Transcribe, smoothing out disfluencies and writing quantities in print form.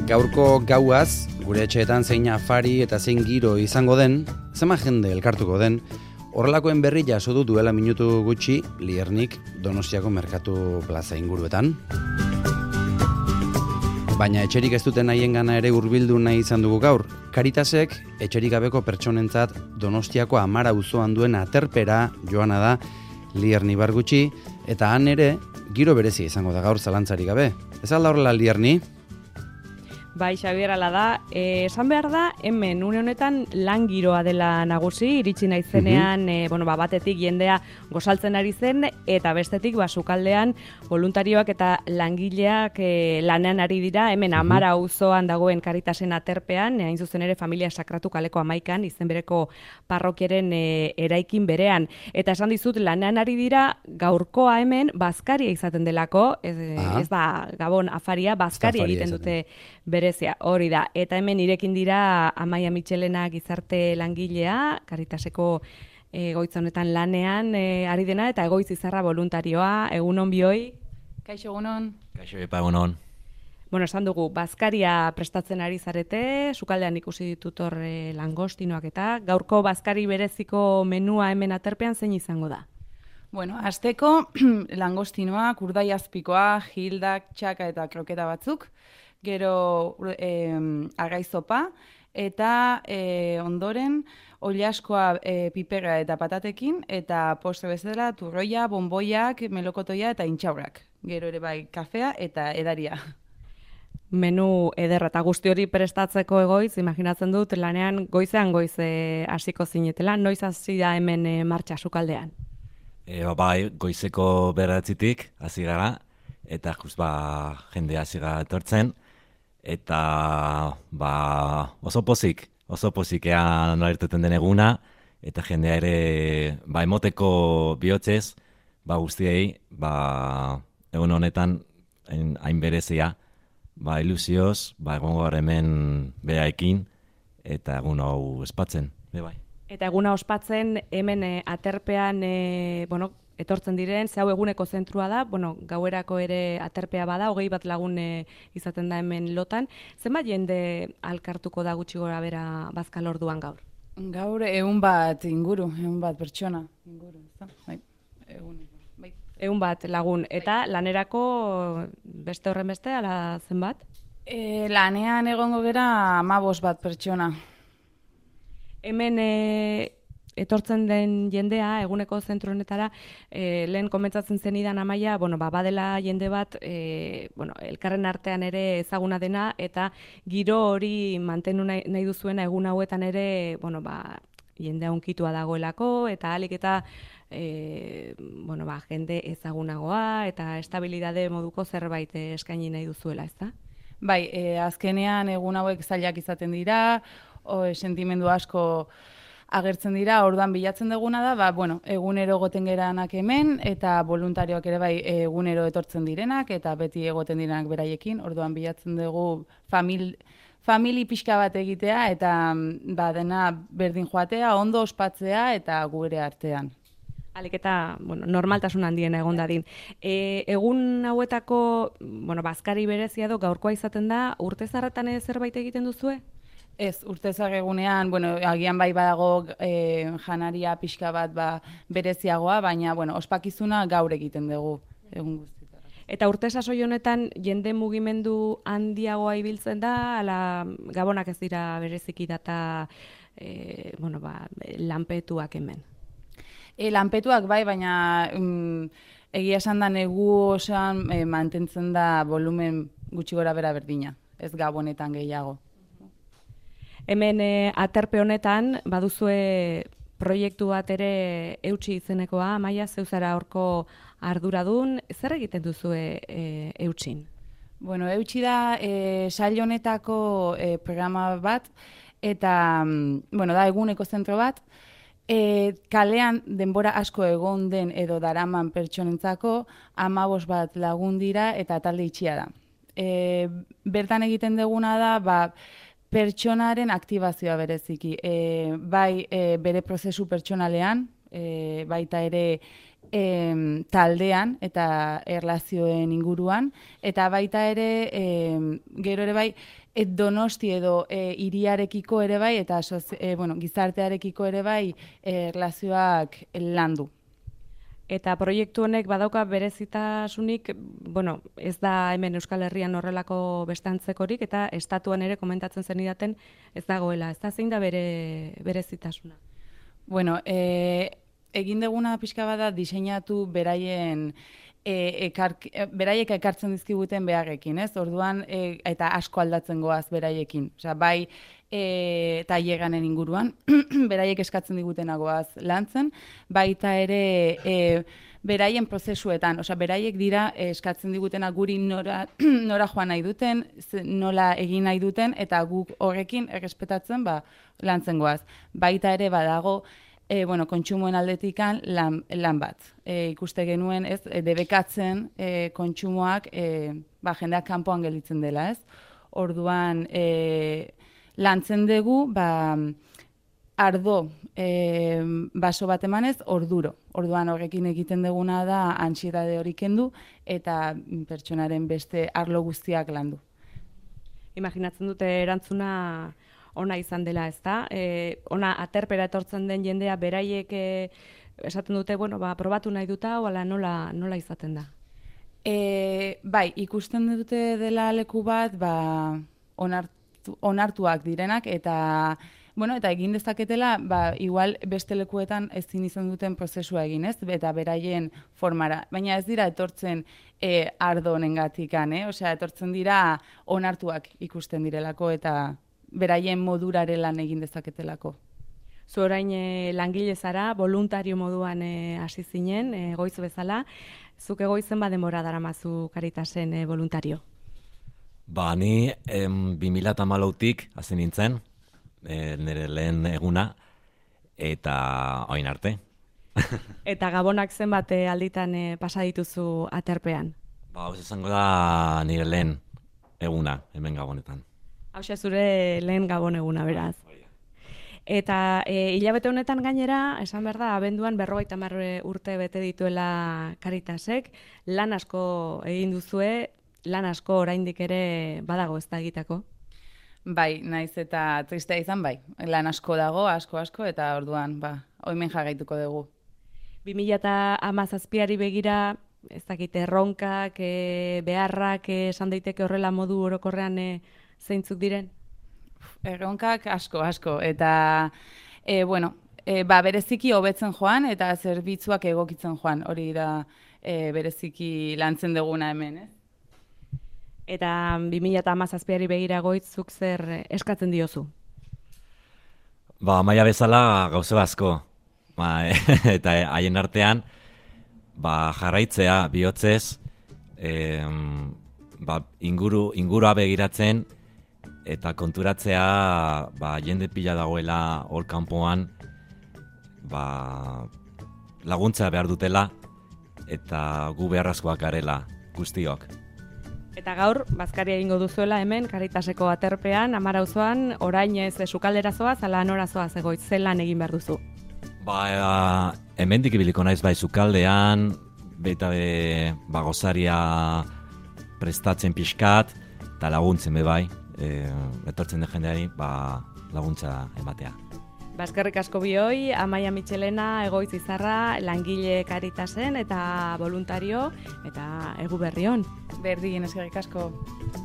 Gaurko gauaz, gure etxeetan zein afari eta zein giro izango den, zema jende elkartuko den, horrelakoen berri jaso du duela minutu gutxi Liernik Donostiako Merkatu Plaza inguruetan. Baina etxerik ez duten haiengana ere hurbildu nahi izan dugu gaur. Caritasek etxerik gabeko pertsonentzat Donostiako Amara auzoan duen aterpera joana da Lierni Bargutxi, eta han ere giro berezia izango da gaur zalantzarik gabe. Ez alda horrela Lierni? Bai, Xabier, ala da. Esan behar da, hemen une honetan lan giroa dela nagusi, iritsi naizenean, batetik jendea gozaltzen ari zen, eta bestetik sukaldean voluntarioak eta langileak lanean ari dira, hemen Amara auzoan dagoen Caritasen aterpean, hain zuzen ere Familia Sakratu kaleko 11an, izen bereko parrokiaren eraikin berean. Eta esan dizut, lanean ari dira gaurkoa hemen bazkaria izaten delako, ez da Gabon afaria, bazkaria egiten dute berezia, hori da. Eta hemen irekin dira Amaia Mitxelena gizarte langilea, Caritaseko egoitza honetan lanean ari dena, eta egoitz izarra voluntarioa, egunon bioi. Kaixo egunon. Kaixo epa egunon. Esan dugu, bazkaria prestatzen ari zarete, sukaldean ikusi ditut hor langostinoak eta gaurko bazkari bereziko menua hemen aterpean zein izango da? Hasteko langostinoa, kurdai azpikoa, gildak, txaka eta kroketa batzuk, gero arraizopa, eta ondoren oliaskoa piperra eta patatekin, eta postre bezala turroia, bonboiak, melokotoia eta intxaurrak. Gero ere bai kafea eta edaria. Menu ederra eta guzti hori prestatzeko egoitz, imaginatzen dut lanean goizean hasiko zinetela, noiz hasi da hemen martxa sukaldean? Bai, goizeko 9:00 hasi gara, eta jende hasi gara etortzen, eta oso pozik ean irteten den eguna, eta jendea ere emoteko bihotzez, guztiei, egun honetan hain berezia, ilusioz, egongo gara hemen behaekin, eta egun hau espatzen, bai. Eta eguna ospatzen hemen aterpean, etortzen diren, ze hau eguneko zentrua da, gauerako ere aterpea bada, 20 lagun izaten da hemen lotan. Zenbat jende alkartuko da gutxi gora bera bazkal orduan gaur? Gaur 100 inguru, 100 pertsona inguru, bai, bai. 100 lagun, eta lanerako beste horren beste, ala zenbat? Lanean egongo gera 15 pertsona. Hemen etortzen den jendea, eguneko zentro honetara, lehen komentzatzen zenidan Amaia, badela jende bat, elkarren artean ere ezaguna dena, eta giro hori mantendu nahi duzuena egun hauetan ere, jendea unkitua dagoelako, eta ahalik eta jende ezagunagoa, eta estabilidade moduko zerbait eskaini nahi duzuela, ezta? Bai, azkenean egun hauek zailak izaten dira, sentimendu asko agertzen dira, orduan bilatzen duguna da, egunero egoten geranak hemen, eta voluntarioak ere bai egunero etortzen direnak, eta beti egoten direnak beraiekin, orduan bilatzen dugu famili pixka bat egitea, eta dena berdin joatea, ondo ospatzea, eta gure artean. Alik eta normaltasun handiena egon dadin. Egun hauetako bazkari berezia do gaurkoa izaten da, urte zarretan zerbait egiten duzue? Ez, urtezak egunean, agian bai badago janaria pixka bat bereziagoa, baina ospakizuna gaur egiten dugu egun guztietan. Eta urte sasoi honetan jende mugimendu handiagoa ibiltzen da, ala Gabonak ez dira bereziki data lanpetuak hemen? Lanpetuak bai, baina egia esan da negu osan mantentzen da volumen gutxi gora bera berdina, ez Gabonetan gehiago. Hemen aterpe honetan baduzue proiektu bat ere eutsi izenekoa, Amaia, zeuzara horko arduradun, zer egiten duzue eutsin? Eutsi da sail honetako programa bat, eta da eguneko zentro bat, kalean denbora asko egon den edo daraman pertsonentzako 15 bat lagun dira eta talde itxia da. Bertan egiten duguna da, pertsonaren aktibazioa bereziki. Bai bere prozesu pertsonalean, baita ere taldean eta erlazioen inguruan, eta baita ere gero ere bai Donosti edo hiriarekiko ere bai, eta gizartearekiko ere bai erlazioak landu. Eta proiektu honek badauka berezitasunik, ez da hemen Euskal Herrian horrelako beste antzekorik, eta estatuan ere komentatzen zenidaten ez dagoela. Ez da zein da berezitasuna? Egin deguna pixka bada diseinatu beraiek ekartzen dizkiguten beharrekin, ez? Orduan, eta asko aldatzen goaz beraiekin. Osea, bai taileganen inguruan, beraiek eskatzen digutenagoaz lantzen, baita ere beraien prozesuetan, osea, beraiek dira eskatzen digutena guri nora joan nahi duten, nola egin nahi duten, eta guk horrekin errespetatzen lantzen goaz. Baita ere badago, kontsumoen aldetikan lan bat. Ikuste genuen, ez, debekatzen kontsumoak jendeak kanpoan gelditzen dela, ez? Orduan, lantzen dugu, ardo baso bat emanez, orduro. Orduan horrekin egiten duguna da antsiedade hori kendu eta pertsonaren beste arlo guztiak landu. Imaginatzen dute erantzuna ona izan dela, ez da? Ona aterpera etortzen den jendea beraiek esaten dute, probatu nahi duta, ala nola izaten da? Bai, ikusten dute dela leku bat, onartuak direnak, eta egin dezaketela, igual beste lekuetan ezin izan duten prozesua egin, ez? Eta beraien formara. Baina ez dira etortzen ardo honengatikan, Osea, etortzen dira onartuak ikusten direlako, eta beraien modurare lan egin dezaketelako. Zu orain langile zara, voluntario moduan hasi zinen, goiz bezala. Zuk egoizen denbora daramazu Caritasen voluntario? Ni 2014tik hasi nintzen, nire lehen eguna, eta orain arte. Eta gabonak zenbat alditan pasa dituzu aterpean? Hau izango da nire lehen eguna hemen Gabonetan. Hauxe zure lehen Gabon eguna, beraz. Eta hilabete honetan gainera, esan behar da, abenduan 50 urte bete dituela Caritasek, lan asko egin duzue, lan asko oraindik ere badago ez da egiteko? Bai, naiz eta tristea izan bai. Lan asko dago, asko, eta orduan, oimen jarraituko dugu. 2017ari begira, ez dakit, erronkak, beharrak, esan daiteke horrela modu orokorrean zeintzuk diren? Erronkak asko, eta bereziki hobetzen joan, eta zerbitzuak egokitzen joan, hori da bereziki lantzen duguna hemen, ez? Eta 2017ari begira goitzuk zer eskatzen diozu? Maila bezala gauze asko, eta haien artean, jarraitzea bihotzez, ingurua begiratzen, eta konturatzea jende pila dagoela hor kanpoan laguntza behar dutela eta gu beharrezkoak garela guztiok. Eta gaur, bazkaria egingo duzuela hemen, Caritaseko aterpean, Amara auzoan, orain ez sukaldera zoaz, ala nora zoaz egoitz, zelan egin behar duzu? Hemendik ibiliko naiz sukaldean, baita gozaria prestatzen pixkat, eta laguntzen bai. Etortzen den jendeari laguntza ematea. Eskerrik asko bioi, Amaia Mitxelena, Egoitz Izarra, langile Caritasen eta voluntario eta egu berri on. Berdin, eskerrik asko.